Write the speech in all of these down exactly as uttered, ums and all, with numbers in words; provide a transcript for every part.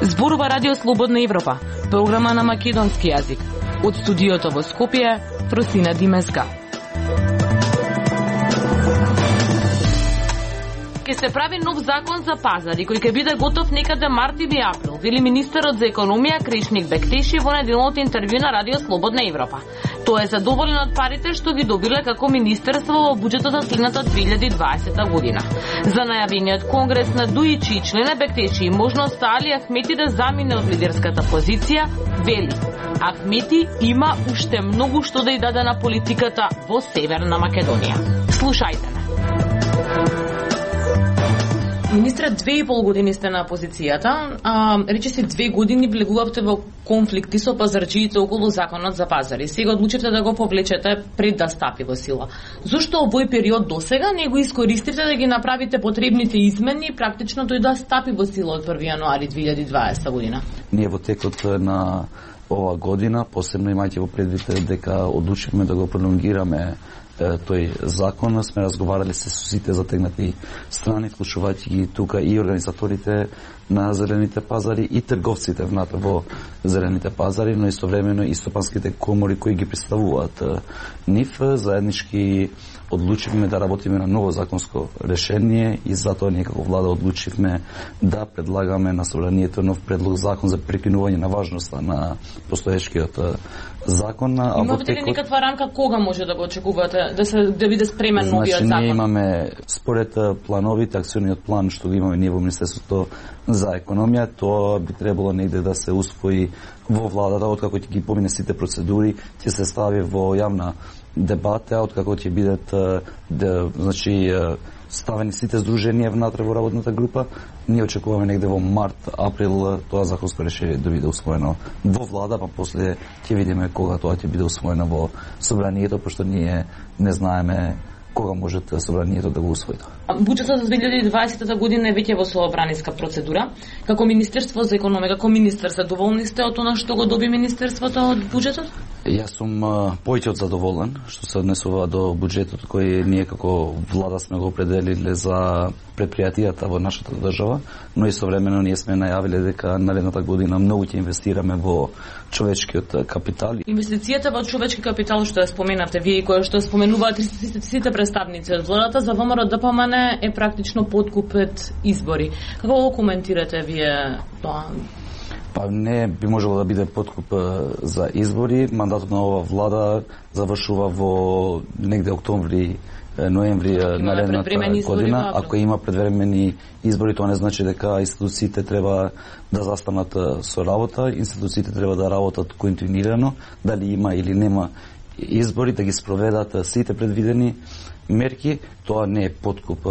Зборува Радио Слободна Европа, програма на македонски јазик. Од студиото во Скопје, Просина Димеска. Ке се прави нов закон за пазари, кој ќе биде готов некаде март или април, вели министерот за економија Кришник Бектеши во неделното интервју на Радио Слободна Европа. Тој е задоволен од парите што ги добиле како министерство во буџетот за следната две илјади и дваесета година. За најавениот конгрес на Дуичи и члена Бектеши и можноста Али Ахмети да замине од лидерската позиција, вели: Ахмети има уште многу што да ја даде на политиката во Северна Македонија. Слушајте ме. Министре, две и пол години сте на позицијата, а рече се две години влегувавте во конфликти со пазарджиите околу законот за пазари. Сега одлучивте да го повлечете пред да стапи во сила. Зошто овој период досега не го искористивте да ги направите потребните измени и практично тој да стапи во сила од први јануари две илјади и дваесета година? Ние во текот на ова година, посебно имајќи во предвид дека одлучивме да го пролонгираме тој закон, сме разговарали се со сите затегнати страни, вклучувајќи ги тука и организаторите на зелените пазари и трговците внатре во зелените пазари, но истовремено и стопанските комори кои ги представуваат нив. Заеднички одлучивме да работиме на ново законско решение и затоа ние како влада одлучивме да предлагаме на собранието нов предлог закон за прекинување на важноста на постоечкиот закон. Имате ли некаква рамка кога може да го очекувате да се да биде спремен значи, новиот закон? Ние имаме според плановите, акциониот план што го имаме ние во Министерството за економија, тоа би требало негде да се усвои во владата, откако ќе ги помине сите процедури, ќе се стави во јавна дебата, откако ќе бидат да, значи ставени сите здруженија внатре во работната група. Ние очекуваме негде во март, април тоа законско решение да биде усвоено во влада, па после ќе видиме кога тоа ќе биде усвоено во собранието, пошто ние не знаеме кога може собранието да го усвои. Буџетот за две илјади и дваесета година е веќе во собраниска процедура. Како Министерство за економија, како министер, задоволни сте од она што го доби министерството од буџетот? Јас сум повеќе од задоволен што се однесува до буџетот кој ние како влада сме го определиле за предпријатијата во нашата држава, но истовремено ние сме најавиле дека наредната година многу ќе инвестираме во човечкиот капитал. Инвестицијата во човечки капитал што ја споменавте вие и која што споменуваат сите представници од владата за ВМРО Д П М Н е практично подкуп пред избори. Како го коментирате вие тоа? Па не би можело да биде подкуп за избори. Мандатот на ова влада завршува во негде октомври, ноември наредната година. Ако има предвремени избори, тоа не значи дека институциите треба да застанат со работа. Институциите треба да работат континуирано, дали има или нема избори, да ги спроведат сите предвидени мерки. Тоа не е подкуп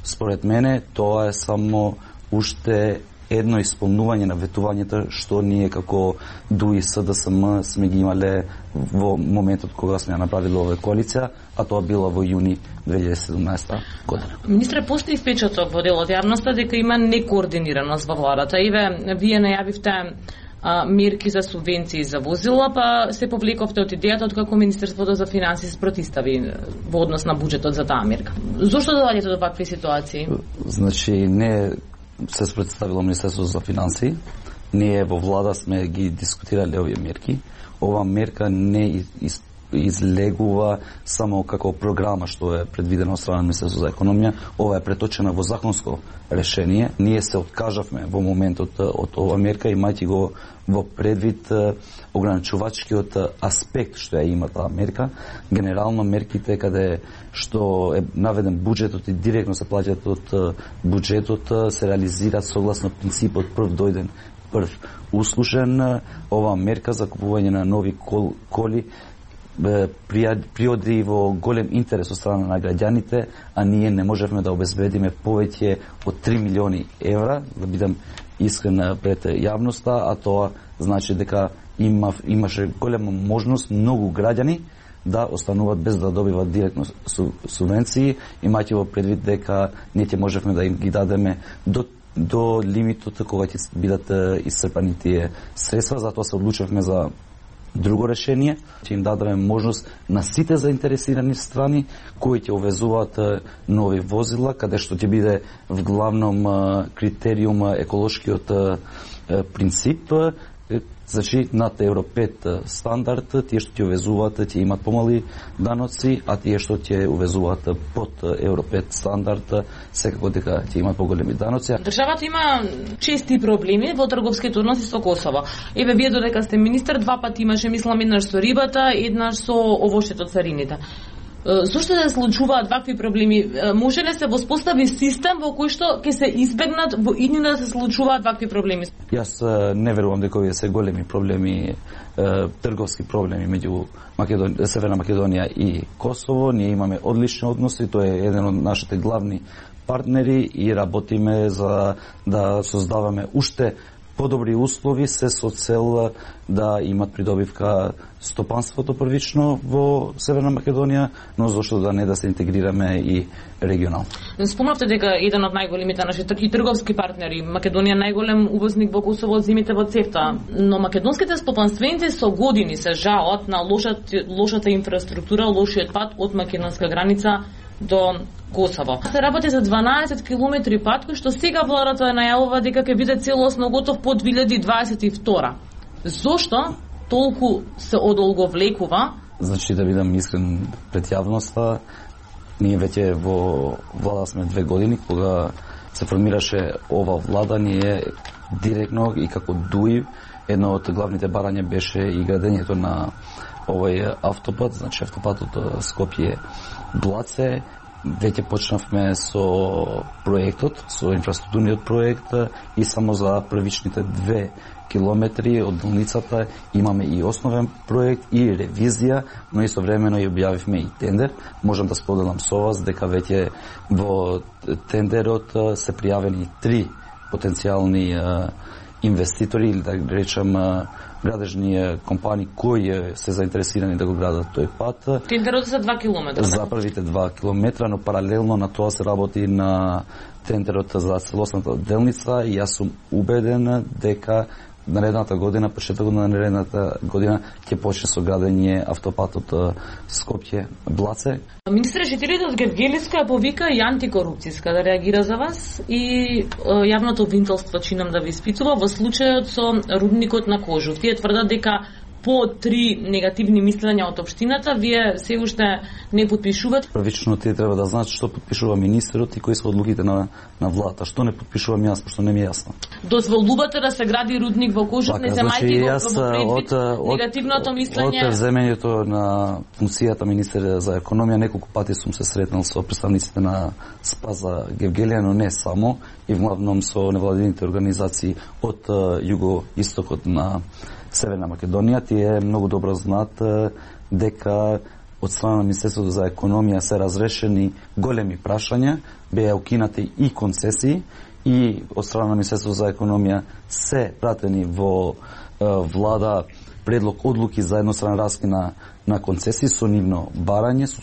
според мене, тоа е само уште едно исполнување на ветувањето што ние како Д У И С Д С М сме ги имале во моментот кога сме ја направиле оваа коалиција, а тоа било во јуни две илјади и седумнаесета година. Министре, постои впечаток во дел од јавноста дека има некоординираност во владата. Иве, вие најавивте а, мерки за субвенции за возила, па се повлековте од идејата од како Министерството за финансии се протистави во однос на буџетот за таа мерка. Зошто доаѓате до вакви ситуации? Значи, не се спредставило Министерството за финансии. Ние во влада сме ги дискутирале овие мерки. Ова мерка не из, излегува само како програма што е предвидена од страна на Министерството за економија. Ова е преточена во законско решение. Ние се откажавме во моментот од ова мерка, имајќи го во предвид ограничувачкиот аспект што ја има таа мерка. Генерално мерките каде што е наведен буџетот и директно се плаќаат од буџетот се реализираат согласно принципот прв дојден прв услушен. Ова мерка за купување на нови кол, коли приоди во голем интерес од страна на граѓаните, а ние не можевме да обезбедиме повеќе од три милиони евра, да бидам искрен пред јавноста, а тоа значи дека има, имаше голема можност многу граѓани да остануваат без да добиваат директно субвенции, имајќи во предвид дека ние ќе можевме да им ги дадеме до до лимитот кога ќе бидат исцрпани тие средства. Затоа се одлучевме за Друго решение, ќе им дадеме можност на сите заинтересирани страни кои ќе увезуваат нови возила, каде што ќе биде вглавном критериум еколошкиот принцип. Значи, над Евро пет стандард, тие што ќе увезуваат ќе имат помали даноци, а тие што ќе увезуваат под Евро пет стандард, секако дека ќе имат поголеми даноци. Државата има чести проблеми во трговските односи со Косово. Еве, вие додека сте министер, два пати имаше, мислам, еднаш со рибата, еднаш со овошето царините. Зошто се случуваат вакви проблеми? Може ли се воспостави систем во кој што ќе се избегнат во иднина да се случуваат вакви проблеми? Јас не верувам дека овие се големи проблеми, трговски проблеми меѓу Македонија, Северна Македонија и Косово. Ние имаме одлични односи, тој е еден од нашите главни партнери и работиме за да создаваме уште подобри услови, се со цел да имат придобивка стопанството првично во Северна Македонија, но зашто да не да се интегрираме и регионално. Спомнавте дека еден од најголемите наши трговски партнери, Македонија најголем увозник во Косово од зимите во ЦЕФТА, но македонските стопанственици со години се жалат на лошата, лошата инфраструктура, лошиот пат од македонска граница до Косово. Се работи за дванаесет километри пат, кој што сега владата најавува дека ќе биде целосно готов по две илјади дваесет и втора. Зошто толку се одолговлекува? Значи, да бидам искрен пред јавноста, ние веќе во влада сме две години, кога се формираше ова влада, ние директно и како ДУИ, едно од главните барања беше и градењето на овој автопат, значи автопатот Скопје-Блаце. Веќе почнавме со проектот, со инфраструктурниот проект и само за првичните две километри од делницата имаме и основен проект и ревизија, но истовремено и објавивме и тендер. Можам да споделам со вас дека веќе во тендерот се пријавени три потенцијални инвеститори, или да речам градежни компании кои се заинтересирани да го градат тој пат. Тендерот за два километра. За првите два километра, но паралелно на тоа се работи на тендерот за целосната делница и јас сум убеден дека наредната година, почетокот на наредната година ќе почне со градење автопатот Скопје-Блаце. Министер Шетилидов Гевгелиска повика и антикорупцијска да реагира за вас и јавното обвинителство чинам да ви испитува во случајот со рудникот на Кожув. Тие тврдат дека по три негативни мислења од општината, вие се уште не подпишувате? Првично тие треба да знаат што подпишува министерот и кои се одлуките на, на владата. Што не подпишувам јас, пошто не ми е јасно. Дозволувате да се гради рудник во Кожув, не земајќи го во предвид негативното мислење? Од земењето на функцијата министер за економија, неколку пати сум се сретнал со представниците на Спаза Гевгелија, но не само, и главном со невладините организации од југоистокот на Северна Македонија. Тие многу добро знаат дека од страна на Министерството за економија се разрешени големи прашања, беа укинати и концесии, и од страна на Министерството за економија се пратени во влада предлог одлуки за едностранен раскин на, на концесии со нивно барање. Со,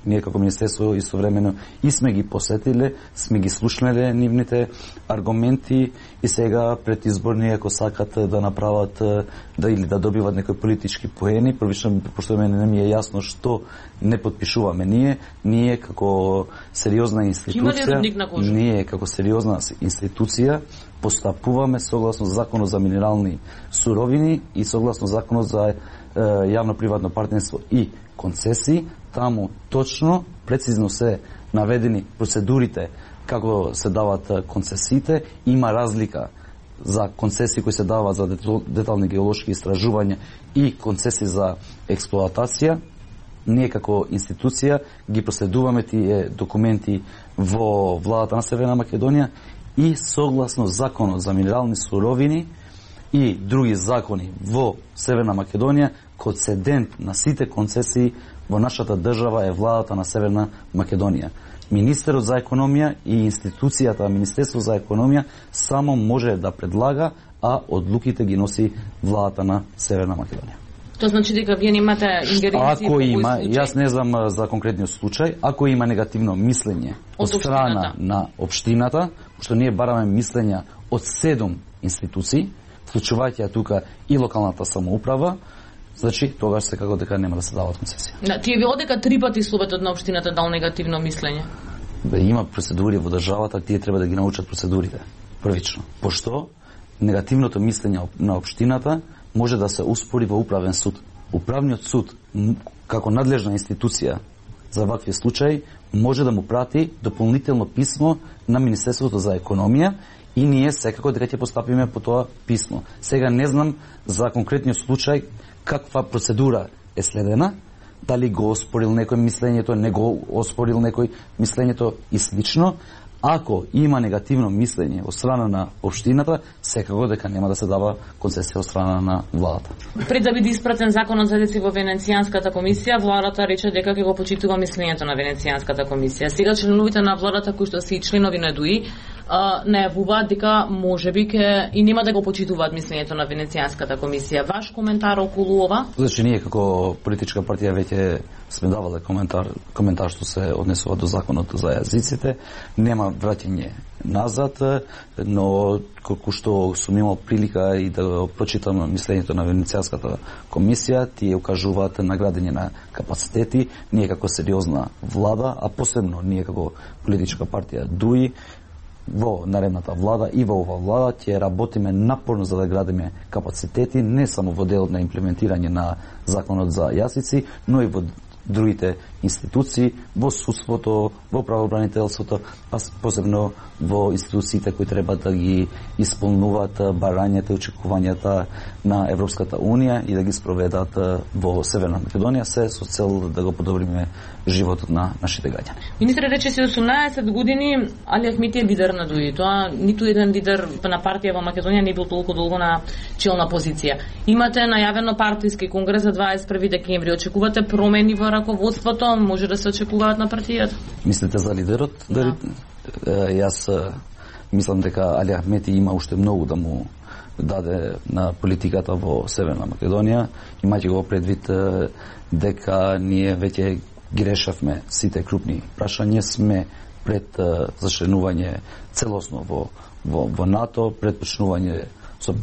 ние како Министерство истовремено и сме ги посетиле, сме ги слушнале нивните аргументи и сега пред изборни, ако сакат да направат да или да добиват некои политички поени, првично пошто мене не ми е јасно што не подпишуваме ние, ние како сериозна институција, ние како сериозна институција постапуваме согласно законот за минерални суровини и согласно законот за јавно-приватно партнерство и концесии. Таму точно, прецизно се наведени процедурите како се дават концесиите. Има разлика за концесии кои се даваат за детални геолошки истражувања и концесии за експлоатација. Ние како институција ги проследуваме тие документи во владата на Северна Македонија и согласно законот за минерални суровини и други закони во Северна Македонија, концедент на сите концесии во нашата држава е владата на Северна Македонија. Министерот за економија и институцијата Министерство за економија само може да предлага, а одлуките ги носи владата на Северна Македонија. Тоа значи дека вие немате ингеренции во кој случај? Јас не знам за конкретниот случај. Ако има негативно мислење од страна на општината, што ние бараме мислења од седум институции, вклучувајќи тука и локалната самоуправа, значи тогаш секако дека нема да се дават концесии. Да, тие ви одека три пати Советот на општината дал негативно мислење. Бе, има процедури во државата, тие треба да ги научат процедурите првично. Пошто негативното мислење на општината може да се успори во управен суд. Управниот суд како надлежна институција за вакви случаи може да му прати дополнително писмо на Министерството за економија и ние секако дека ќе постапиме по тоа писмо. Сега не знам за конкретниот случај каква процедура е следена, дали го оспорил некој мислењето, не го оспорил некој мислењето и слично. Ако има негативно мислење од страна на општината, секако дека нема да се дава концесија од страна на владата. Пред да биде испратен законот за деци во Венецијанската комисија, владата рече дека ќе го почитува мислењето на Венецијанската комисија. Сега членовите на владата кои што се и членови на ДУИ најавуваат дека можеби ке и нема да го почитуваат мислењето на Венецијанската комисија. Ваш коментар околу ова? Значи ние како политичка партија веќе сме давале коментар, коментар што се однесува до законот за јазиците. Нема враќање назад, но колку што сум имал прилика и да го прочитам мислењето на Венецијанската комисија, тие укажуваат на градење на капацитети. Ние како сериозна влада, а посебно ние како политичка партија ДУИ, во наредната влада и во ова влада ќе работиме напорно за да градиме капацитети не само во делот на имплементирање на законот за јазици, но и во другите институции, во судството, во правобранителството, а посебно во институциите кои треба да ги исполнуваат барањата и очекувањата на Европската унија и да ги спроведат во Северна Македонија, се со цел да го подобриме животот на нашите граѓани. Министре, рече си осумнаесет години, Али Ахмети е лидер на ДУИ. Тоа ниту еден лидер на партија во Македонија не бил толку долго на челна позиција. Имате најавено партиски конгрес за дваесет и први декември. Очекувате промени во раководството? Може да се очекуваат на партијата? Мислите за лидерот? Да. Јас мислам дека Али Ахмети има уште многу да му даде на политиката во Северна Македонија, имајќи го предвид дека ние веќе ги решавме сите крупни прашања, сме пред зачленување целосно во, во, во НАТО, пред почнување со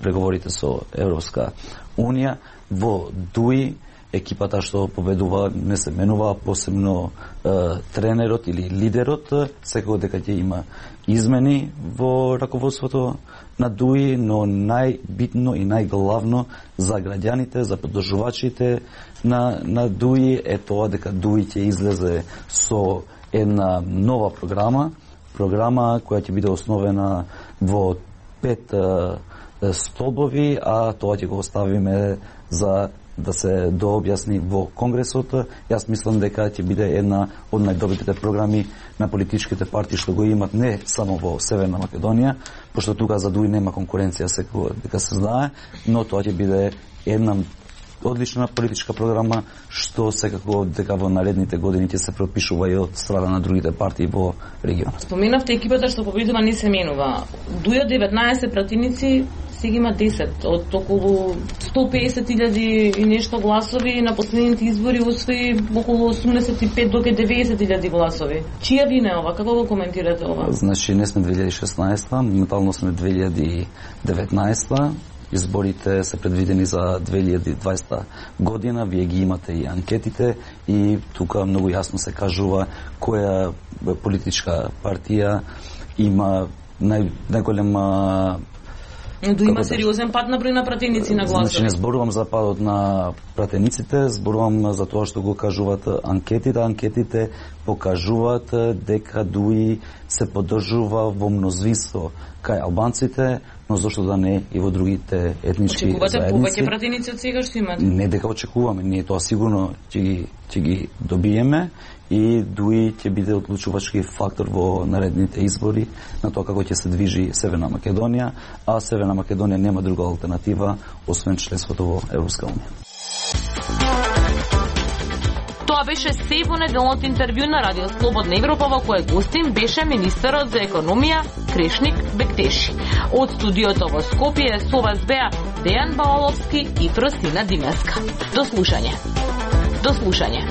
преговорите со Европска унија, во ДУИ екипата што победува не се менува, посебно е, тренерот или лидерот, секако дека ќе има измени во раководството на ДУИ, но најбитно и најглавно за граѓаните, за поддржувачите на, на ДУИ е тоа дека ДУИ ќе излезе со една нова програма, програма која ќе биде основена во пет е, столбови, а тоа ќе го оставиме за да се дообјасни во Конгресот. Јас мислам дека ќе биде една од најдобрите програми на политичките партии што го имат не само во Северна Македонија, пошто тука за ДУИ нема конкуренција, секако дека се знае, но тоа ќе биде една одлична политичка програма што секако дека во наредните години ќе се пропишува и од страна на другите партии во регионот. Споменавте екипата што победува не се менува. ДУИ деветнаесет пратеници, сега има десет, од околу сто и песет илјади и нешто гласови, на последните избори освои околу осумдесет и пет до деветдесет илјади гласови. Чија вина е ова? Како го коментирате ова? Значи, не сме две илјади и шеснаесета, моментално сме две илјади и деветнаесета. Изборите се предвидени за две илјади и дваесета година, вие ги имате и анкетите и тука многу јасно се кажува која политичка партија има нај, најголема. Но има сериозен пат на број на пратеници на гласови. Значи не зборувам за падот на пратениците, зборувам за тоа што го кажуваат анкетите. Анкетите покажуваат дека ДУИ се поддржува во мнозинство кај албанците, но зошто да не и во другите етнички Очекувате заедници. Очекувате повеќе пратеници од сега што имате? Не дека очекуваме, ние тоа сигурно ќе ги, ќе ги добиеме и ДУИ ќе биде одлучувачки фактор во наредните избори на тоа како ќе се движи Северна Македонија, а Северна Македонија нема друга алтернатива освен членството во Европска унија. Тоа беше се во неделното интервју на Радио Слободна Европа, во кое гостин беше министерот за економија Кришник Бектеши. Од студиото во Скопје со вас беа Дејан Балаловски и Фросина Димеска. До слушање. До слушање.